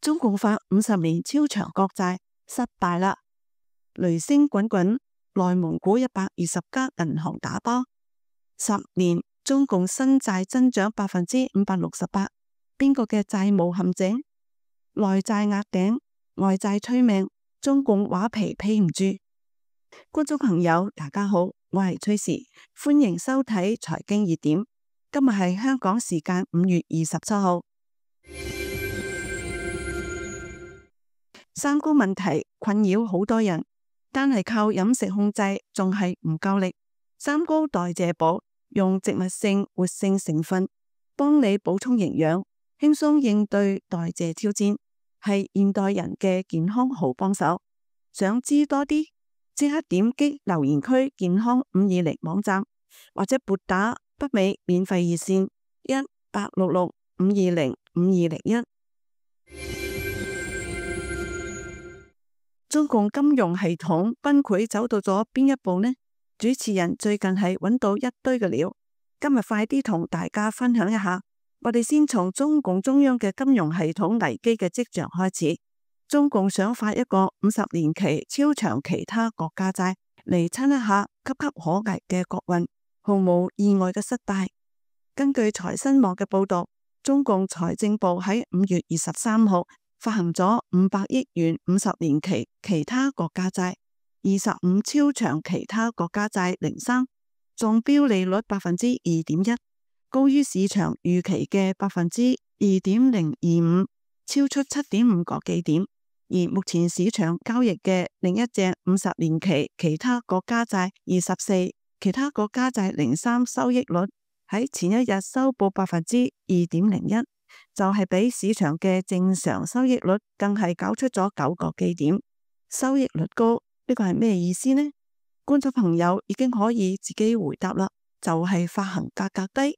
中共發50年超長國債失敗啦，雷聲滾滾，內蒙古120家銀行打包，10年中共新債增長568%，邊個嘅債務陷阱？內債壓頂，外債催命，中共畫皮披唔住。觀眾朋友，大家好，我係崔氏，歡迎收睇財經熱點。今日係香港時間5月27號。三高問題困擾好多人，單係靠飲食控制仲係唔夠力。三高代謝寶用植物性活性成分幫你補充營養，輕鬆應對代謝挑戰，係現代人嘅健康好幫手。想知多啲，即刻點擊留言區健康520網站，或者撥打北美免費熱線1-866-520-5201。中共金融系統崩潰走到咗邊一步呢？主持人最近係揾到一堆嘅料，今日快啲同大家分享一下。我哋先從中共中央嘅金融系統危機嘅跡象開始。中共想發一個50年期超長其他國家債嚟撐一下岌岌可危嘅國運，毫無意外嘅失敗。根據財新網嘅報道，中共財政部喺5月23號發行咗500億元50年期其他國家債，25超長其他國家債03，中標利率2.1%，高於市場預期嘅2.025%，超出7.5個基點。而目前市場交易嘅另一隻50年期其他國家債24，其他國家債03收益率喺前一日收報2.01%，就係比市場嘅正常收益率更係搞出咗9個基點。收益率高，呢個係咩意思呢？觀眾朋友已經可以自己回答啦，就係發行價格低。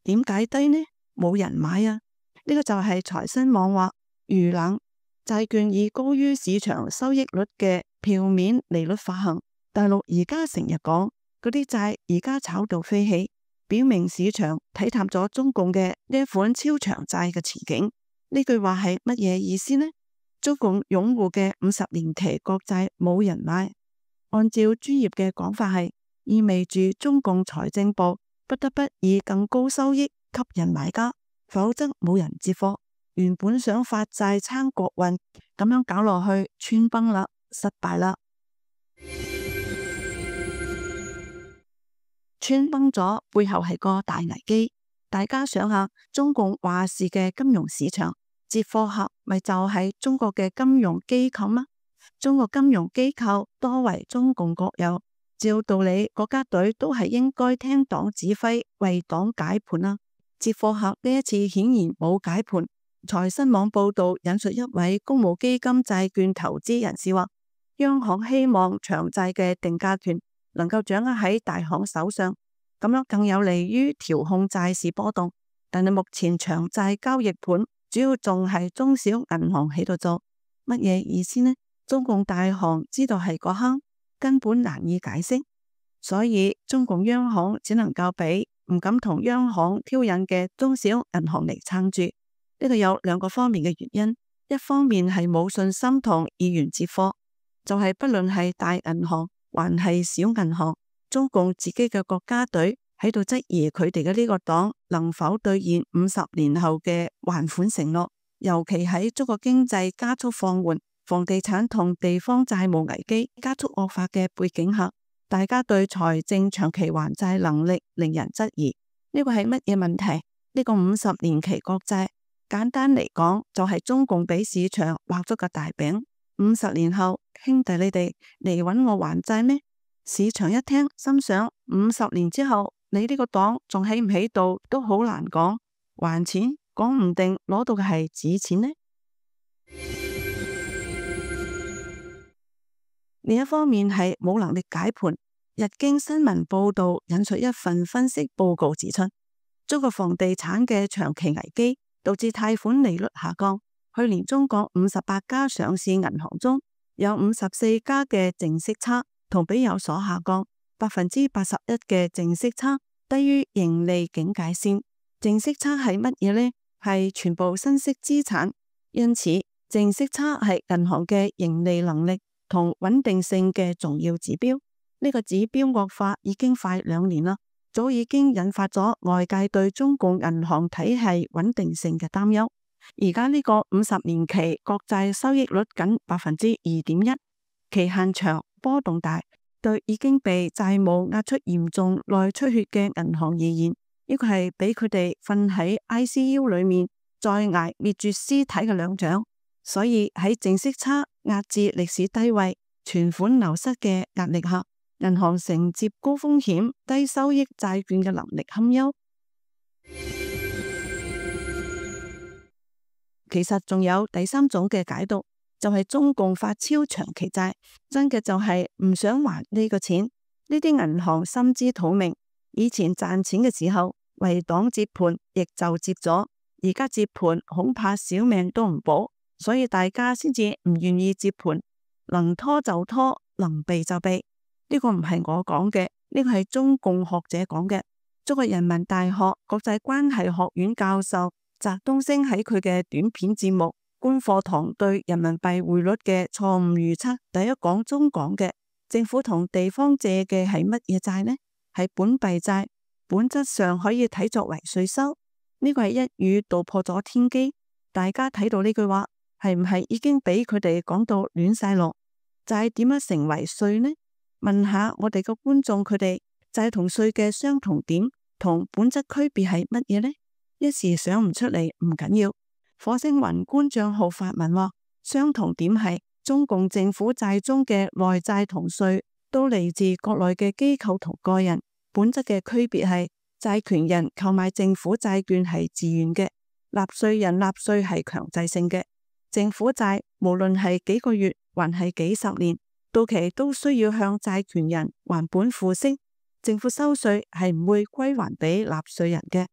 點解低呢？冇人買啊！呢個就係財新網話遇冷債券以高於市場收益率嘅票面利率發行。大陸而家成日講嗰啲債而家炒到飛起，表明市場睇淡咗中共嘅呢一款超長債嘅前景。呢句話係乜嘢意思呢？中共擁護嘅50年期國債冇人買，按照專業嘅講法係意味住中共財政部不得不以更高收益吸引買家，否則冇人接貨。原本想發債撐國運，咁樣搞落去穿崩啦，失敗啦。穿崩咗背後係個大危機。大家想下，中共話事嘅金融市場接貨客咪就係中國嘅金融機構嗎？中國金融機構多為中共國有，照道理國家隊都係應該聽黨指揮，為黨解盤啦。接貨客呢一次顯然冇解盤。財新網報道引述一位公募基金債券投資人士話，央行希望長債嘅定價權能夠掌握喺大行手上，咁樣更有利於調控債市波動。但係目前長債交易盤主要仲係中小銀行喺度做，乜嘢意思呢？中共大行知道係個坑，根本難以解釋，所以中共央行只能夠俾唔敢同央行挑釁嘅中小銀行嚟撐住。呢個有兩個方面嘅原因，一方面係冇信心同意願接貨，就係不論係大銀行還係小銀行，中共自己嘅國家隊喺度質疑佢哋嘅呢個黨能否兌現50年後嘅還款承諾，尤其喺中國經濟加速放緩、房地產同地方債務危機加速惡化嘅背景下，大家對財政長期還債能力令人質疑。呢個係乜嘢問題？呢個50年期國債簡單嚟講，就係中共俾市場畫咗個大餅。50年後，兄弟你哋嚟搵我還債咩？市場一聽，心想50年之後，你呢個黨仲喺唔喺度都好難講。還錢，講唔定攞到嘅係紙錢呢。另一方面係冇能力解盤。日經新聞報道引述一份分析報告指出，中國房地產嘅長期危機導致貸款利率下降。去年中國58家上市銀行中有54家嘅淨息差同比有所下降，81%嘅淨息差低於盈利警戒線。淨息差係乜嘢呢？係全部新息資產，因此淨息差係銀行嘅盈利能力同穩定性嘅重要指標。呢個指標惡化已經快2年啦，早已經引發咗外界對中共銀行體系穩定性嘅擔憂。而家呢個50年期國債收益率僅2.1%，期限長、波動大，對已經被債務壓出嚴重內出血嘅銀行而言，呢個係俾佢哋瞓喺 ICU 裏面再挨滅絕屍體嘅兩獎。所以喺淨息差壓至歷史低位、存款流失嘅壓力下，銀行承接高風險低收益債券嘅能力堪憂。其實仲有第三種嘅解讀，就係中共發超長期債，真嘅就係唔想還呢個錢。呢啲銀行心知肚明，以前賺錢嘅時候為黨接盤，亦就接咗，而家接盤恐怕小命都唔保，所以大家先至唔願意接盤，能拖就拖，能避就避。呢個唔係我講嘅，呢個係中共學者講嘅。中國人民大學國際關係學院教授翟東升喺佢嘅短片節目《觀課堂對人民幣匯率嘅錯誤預測》第一講中講嘅，政府同地方借嘅係乜嘢債呢？係本幣債，本質上可以睇作為稅收。呢個係一語道破咗天機。大家睇到呢句話，係唔係已經俾佢哋講到亂晒龍？債點樣成為稅呢？問下我哋個觀眾，佢哋債同稅嘅相同點同本質區別係乜嘢呢？一時想唔出嚟唔緊要。火星雲官賬號發文話，相同點係中共政府債中嘅內債同稅都嚟自國內嘅機構同個人，本質嘅區別係債權人購買政府債券係自願嘅，納稅人納稅係強制性嘅。政府債無論係幾個月還係幾十年，到期都需要向債權人還本付息，政府收稅係唔會歸還俾納稅人嘅。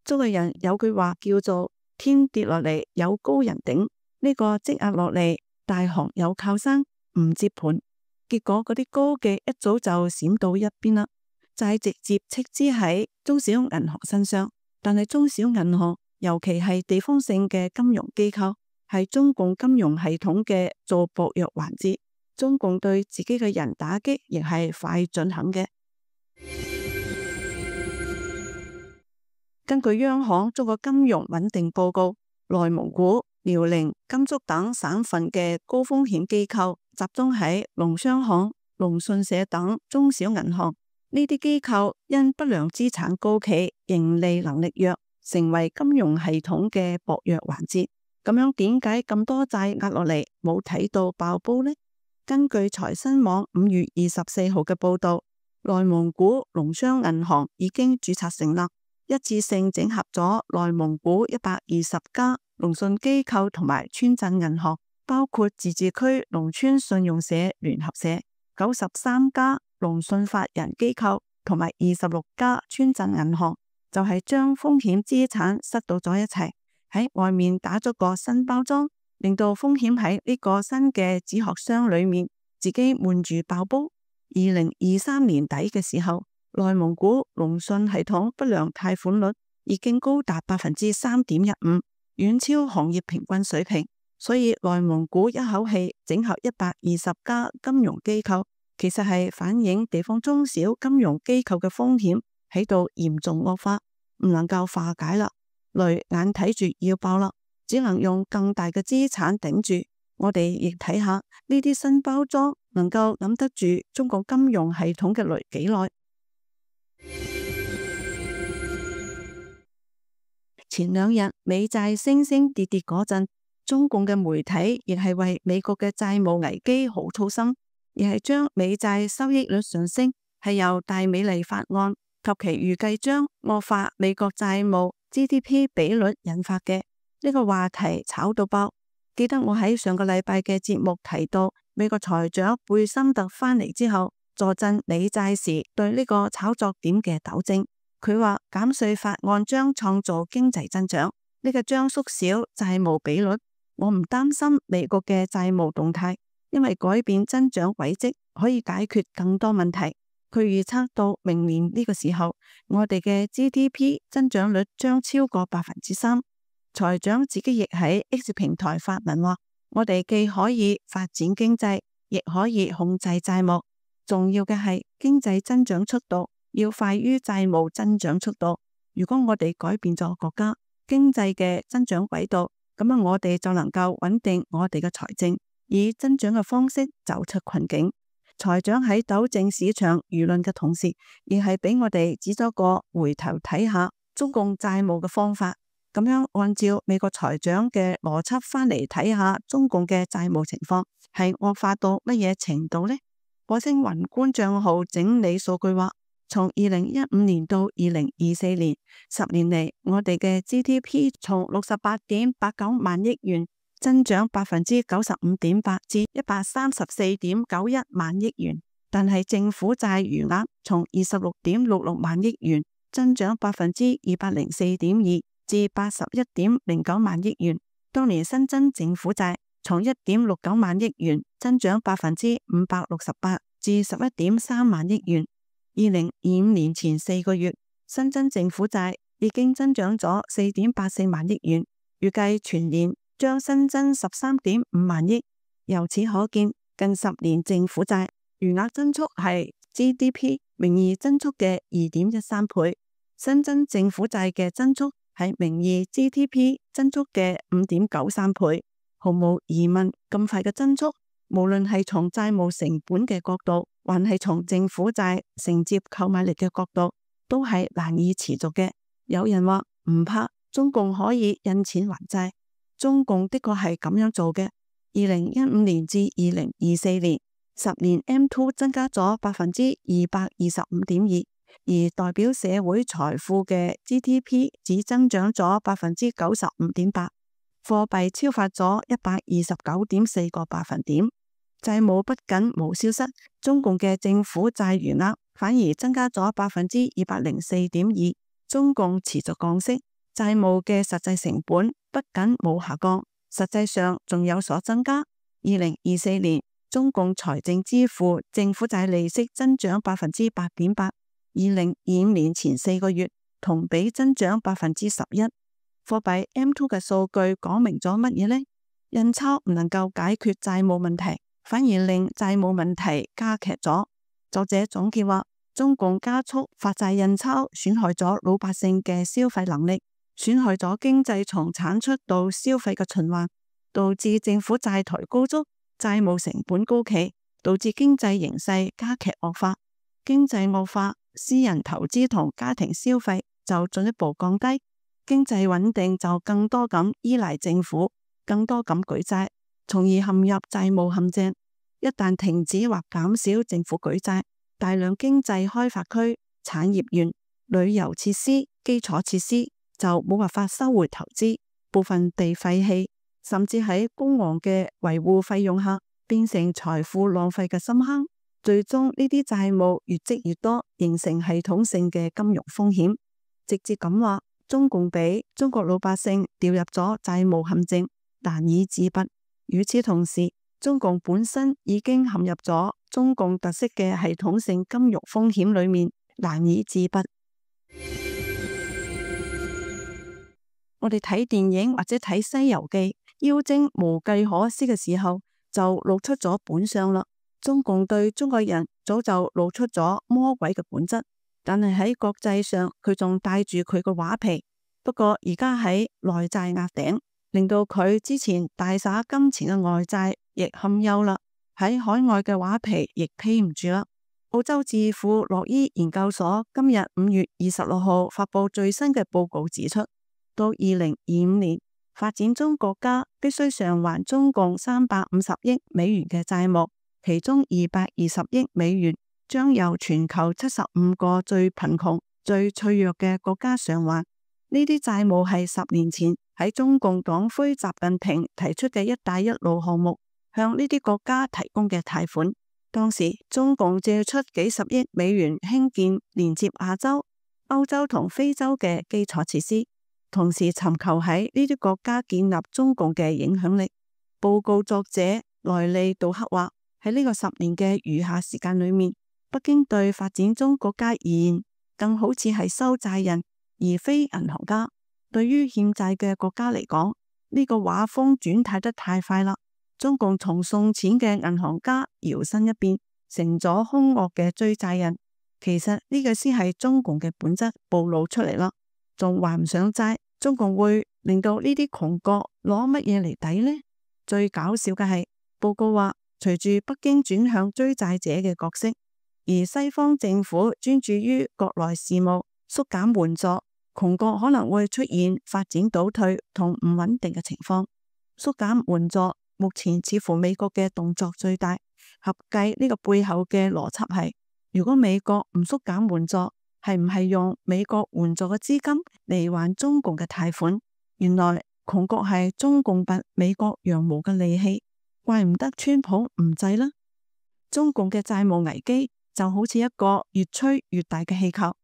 中國人有句話叫做天跌落嚟有高人頂，呢個積壓落嚟大行有靠山唔接盤，結果嗰啲高嘅一早就閃到一邊啦，債直接斥資喺中小銀行身上。但係中小銀行尤其係地方性嘅金融機構，係中共金融系統嘅做薄弱環節。中共對自己嘅人打擊亦係快準狠嘅。根據央行中國金融穩定報告，內蒙古、遼寧、甘肅等省份嘅高風險機構集中喺農商行、農信社等中小銀行。呢啲機構因不良資產高企、盈利能力弱，成為金融系統嘅薄弱環節。咁樣點解咁多債壓落嚟冇睇到爆煲呢？根據財新網5月24號嘅報道，內蒙古農商銀行已經註冊成立，一次性整合咗內蒙古120家農信機構同埋村鎮銀行，包括自治區農村信用社聯合社、93家農信法人機構同埋26家村鎮銀行，就係將風險資產塞到咗一齊，喺外面打咗個新包裝，令到風險喺呢個新嘅紙殼箱裏面自己悶住爆煲。2023年底嘅時候，內蒙古農信系統不良貸款率已經高達3.15%，遠超行業平均水平。所以內蒙古一口氣整合120家金融機構，其實係反映地方中小金融機構嘅風險喺度嚴重惡化，唔能夠化解啦，雷眼睇住要爆啦，只能用更大嘅資產頂住。我哋亦睇下呢啲新包裝能夠揞得住中國金融系統嘅雷幾耐。前2日美債升升跌跌嗰陣，中共嘅媒體亦係為美國嘅債務危機好操心，而係將美債收益率上升係由大美麗法案及其預計將惡化美國債務 GDP 比率引發嘅。呢個話題炒到爆。記得我喺上個禮拜嘅節目提到，美國財長貝森特返嚟之後坐鎮美債時對呢個炒作點嘅糾正，佢話減稅法案將創造經濟增長，呢個將縮小債務比率。我唔擔心美國嘅債務動態，因為改變增長軌跡可以解決更多問題。佢預測到明年呢個時候，我哋嘅 GDP 增長率將超過3%。財長自己亦喺 X 平台發文話，我哋既可以發展經濟，亦可以控制債務。重要嘅係經濟增長速度要快於債務增長速度。如果我哋改變咗國家經濟嘅增長軌道，咁我哋就能夠穩定我哋嘅財政，以增長嘅方式走出困境。財長喺糾正市場輿論嘅同時，亦係俾我哋指咗個回頭睇下中共債務嘅方法。咁樣按照美國財長嘅邏輯翻嚟睇下中共嘅債務情況係惡化到乜嘢程度呢？火星宏觀賬號整理數據話，從2015年到2024年10年嚟，我哋嘅 GDP 從68.89萬億元增長95.8%至134.91萬億元，但係政府債餘額從26.66萬億元增長204.2%至81.09萬億元。當年新增政府債從1.69萬億元增長568%至11.3萬億元。2025年前4個月，新增政府債已經增長咗4.84萬億元，預計全年將新增13.5萬億。由此可見，近10年政府債餘額增速係 GDP 名義增速嘅2.13倍，新增政府債嘅增速係名義 GDP 增速嘅5.93倍。毫無疑問，咁快嘅增速，無論係從債務成本嘅角度，還係從政府債承接購買力嘅角度，都係難以持續嘅。有人話唔怕，中共可以印錢還債。中共的確係咁樣做嘅。2015年至2024年10年 M2 增加咗225.2%，而代表社會財富嘅 GDP 只增長咗95.8%，貨幣超發咗129.4個百分點。債務不僅冇消失，中共嘅政府債餘額反而增加咗204.2%。中共持續降息，債務嘅實際成本不僅冇下降，實際上仲有所增加。2024年，中共財政支付政府債利息增長8.8%。2025年前4個月同比增長11%。貨幣 M2 嘅數據講明咗乜嘢呢？印鈔唔能夠解決債務問題，反而令債務問題加劇咗。作者總結話，中共加速發債印鈔，損害咗老百姓嘅消費能力，損害咗經濟從產出到消費嘅循環，導致政府債台高築，債務成本高企，導致經濟形勢加劇惡化。經濟惡化，私人投資同家庭消費就進一步降低，經濟穩定就更多咁依賴政府，更多咁舉債，從而陷入債務陷阱。一旦停止或減少政府舉債，大量經濟開發區、產業園、旅遊設施、基礎設施就冇辦法收回投資，部分被廢棄，甚至喺高昂嘅維護費用下變成財富浪費嘅深坑。最終呢啲債務越積越多，形成系統性嘅金融風險。直接咁話，中共俾中國老百姓掉入咗債務陷阱，難以自拔。與此同時，中共本身已經陷入咗中共特色嘅系統性金融風險裏面，難以自拔。我哋睇電影或者睇《西遊記》，妖精無計可施嘅時候，就露出咗本相啦。中共對中國人早就露出咗魔鬼嘅本質，但係喺國際上佢仲帶住佢個畫皮。不過而家喺內債壓頂，令到佢之前大灑金錢嘅外債亦堪憂啦。喺海外嘅畫皮亦披唔住啦。澳洲智庫洛伊研究所今日5月26號發布最新嘅報告指出，到2025年，發展中國家必須償還中共350億美元嘅債務，其中220億美元將由全球75個最貧窮、最脆弱嘅國家償還。呢啲債務係10年前喺中共黨魁習近平提出嘅一帶一路項目向呢啲國家提供嘅貸款。當時中共借出幾十億美元興建連接亞洲、歐洲同非洲嘅基礎設施，同時尋求喺呢啲國家建立中共嘅影響力。報告作者萊利杜克話，喺呢個10年嘅餘下時間裏面，北京對發展中國家而言，更好似係收債人，而非銀行家。對於欠債嘅國家嚟講，呢個畫風轉態得太快啦。中共從送錢嘅銀行家搖身一變，成咗兇惡嘅追債人。其實呢個先係中共嘅本質暴露出嚟啦，仲還唔上債，中共會令到呢啲窮國攞乜嘢嚟抵呢？最搞笑嘅係報告話，隨住北京轉向追債者嘅角色，而西方政府專注於國內事務，縮減援助，窮國可能會出現發展倒退同唔穩定嘅情況。縮減援助，目前似乎美國嘅動作最大。合計呢個背後嘅邏輯係，如果美國唔縮減援助，係唔係用美國援助嘅資金嚟還中共嘅貸款？原來窮國係中共拔美國羊毛嘅利器，怪唔得川普唔制啦。中共嘅債務危機就好似一個越吹越大嘅氣球，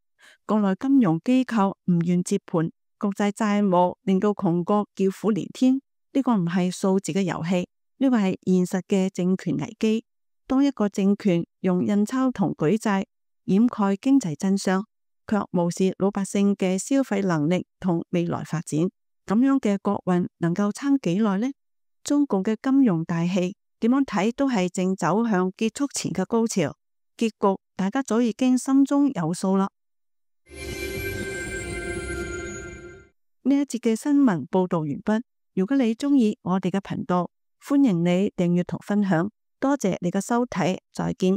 國內金融機構唔願接盤，國際債務令到窮國叫苦連天。呢個唔係數字嘅遊戲，呢個係現實嘅政權危機。當一個政權用印鈔同舉債掩蓋經濟真相，卻無視老百姓嘅消費能力同未來發展，咁樣嘅國運能夠撐幾耐呢？中共嘅金融大戲點樣睇都係正走向結束前嘅高潮，結局大家早已經心中有數啦。呢一節嘅新聞報道完畢。如果你鍾意我哋嘅頻道，歡迎你訂閱同分享。多謝你嘅收睇，再見。